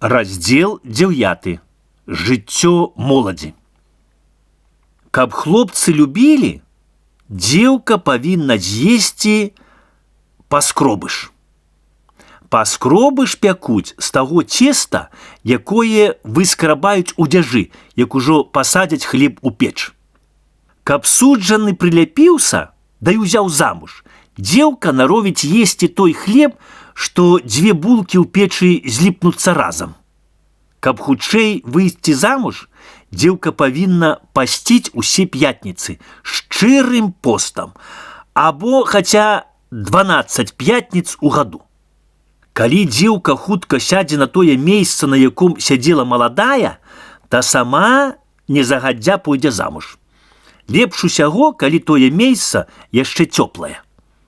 Раздзел 9. Жыццё моладзі. Каб хлопцы любілі, дзеўка павінна з'есці паскробыш. Паскробыш пякуць з таго цеста, якое выскрабаюць у дзяжы, як ужо пасадзяць хлеб у печ. Каб суджаны прыляпіўся, да і ўзяў замуж, дзеўка наровіць есці той хлеб, што дзве булкі ў печы зліпнуцца разам. Каб хутчэй выйсці замуж, дзеўка павінна пасціць усе пятніцы шчырым постам, або хаця 12 пятніц у году. Калі дзеўка хутка сядзе на тое месца, на яком сядзела маладая, та сама незагадзя пойдзе замуж. Лепш усяго, калі тое месца яшчэ цёплае.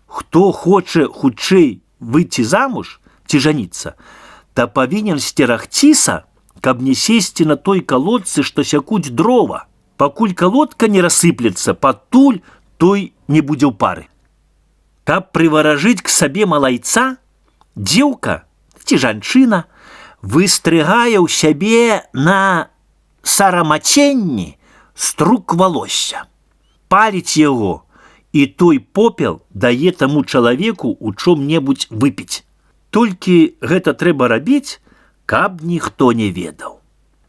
Хто хоча хутчэй выйти замуж ці жаніцца, та павінен сцерагціся, каб не сесці на той калодцы, што сякуць дрова. Пакуль калодка не рассыплецца, патуль той не будзе ў пары. Каб прываражыць к сабе малайца, дзеўка ці жанчына выстрыгае ў сябе на сарамаценні струк валосся, паліць яго, і той попел дае таму чалавеку у чом-небудзь выпіць. Толькі гэта трэба рабіць, каб ніхто не ведаў.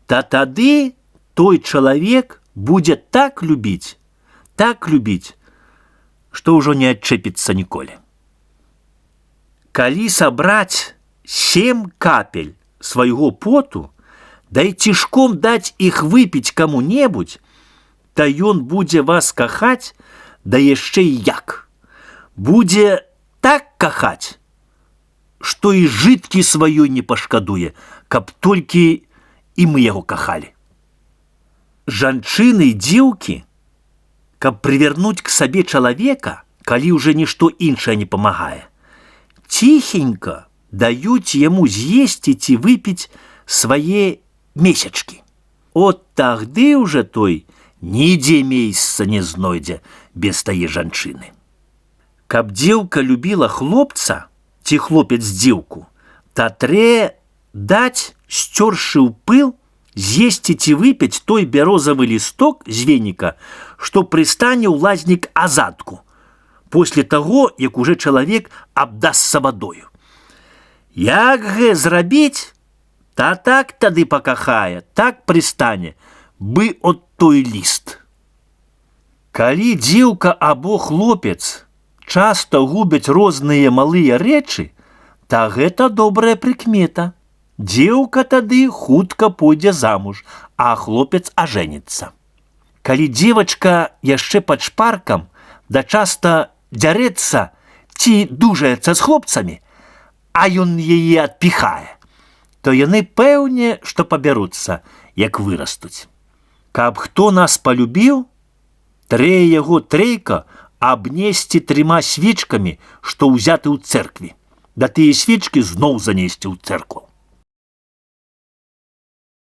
Та тады той чалавек будзе так любіць, што ўжо не адчэпіцца ніколі. Калі сабраць 7 капель свайго поту, да і цішком даць іх выпіць каму-небудзь, та ён будзе вас кахаць, да яшчэ і як. Будзе так кахаць, што і жыткі сваёй не пашкадуе, каб толькі і мы яго кахалі. Жанчыны і дзеўкі, каб прывярнуць к сабе чалавека, калі ўжо нішто іншае не памагае, ціхенька даюць яму з'есці ці выпіць свае месячкі. От тагды ўжо той нідзе месца не знойдзе без тае жанчыны. Каб дзеўка любіла хлопца ці хлопец дзеўку, та трэ даць, сцёршы ў пыл, з'есці ці выпіць той бярозавы лісток з веніка, што прыстане ў лазнік азадку, после таго, як уже чалавек абдасся вадою. Як гэ зрабіць, та так тады пакахае, так прыстане, бы от той ліст. Калі дзеўка або хлопец часта губяць розныя малыя рэчы, та гэта добрая прыкмета. Дзеўка тады хутка пойдзе замуж, а хлопец ажэніцца. Калі дзевачка яшчэ пад шпаркам, да часта дзярэцца ці дужаецца з хлопцамі, а ён яе адпіхае, то яны пэўне, што пабяруцца, як вырастуць. Каб хто нас палюбіў, трэ яго трэйка абнесці 3 свечкамі, што ўзяты ў цэркві, да тыя свечкі зноў занесці ў цэркву.